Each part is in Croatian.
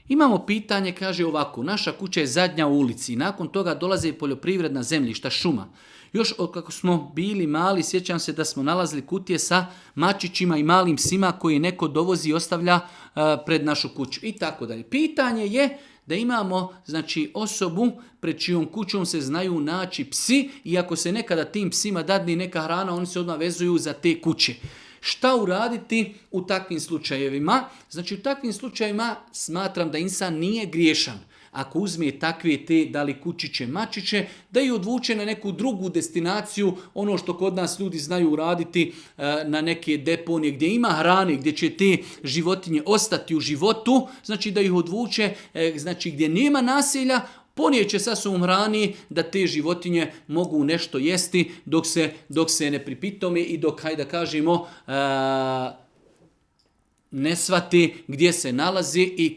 Imamo pitanje, kaže ovako, naša kuća je zadnja u ulici, nakon toga dolaze poljoprivredna zemljišta, šuma. Još kako smo bili mali, sjećam se da smo nalazili kutije sa mačićima i malim psima koje neko dovozi i ostavlja pred našu kuću i tako dalje. Pitanje je da imamo osobu pred čijom kućom se znaju naći psi i ako se nekada tim psima dadne neka hrana, oni se odmah vezuju za te kuće. Šta uraditi u takvim slučajevima? U takvim slučajevima smatram da insan nije griješan. Ako uzme takve te, da li kućiće, mačiće, da ih odvuče na neku drugu destinaciju, ono što kod nas ljudi znaju uraditi na neke deponije gdje ima hrane, gdje će te životinje ostati u životu, da ih odvuče, gdje nema nasilja, ponijeće sa sobom hrani da te životinje mogu nešto jesti dok se ne pripitome i dok, hajde da kažemo, ne shvati gdje se nalazi i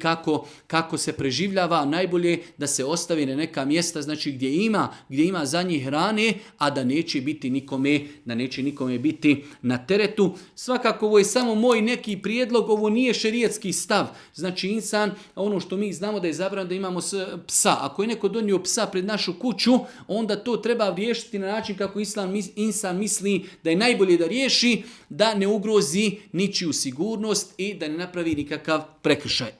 kako se preživljava. Najbolje da se ostavi na neka mjesta gdje ima za njih hrane, a da neće nikome biti na teretu. Svakako ovo je samo moj neki prijedlog, ovo nije šerijatski stav. Insan, ono što mi znamo da je zabranjeno da imamo psa. Ako je neko donio psa pred našu kuću, onda to treba riješiti na način kako insan misli da je najbolje da riješi, da ne ugrozi ničiju sigurnost i da ne napravi nikakav prekršaj.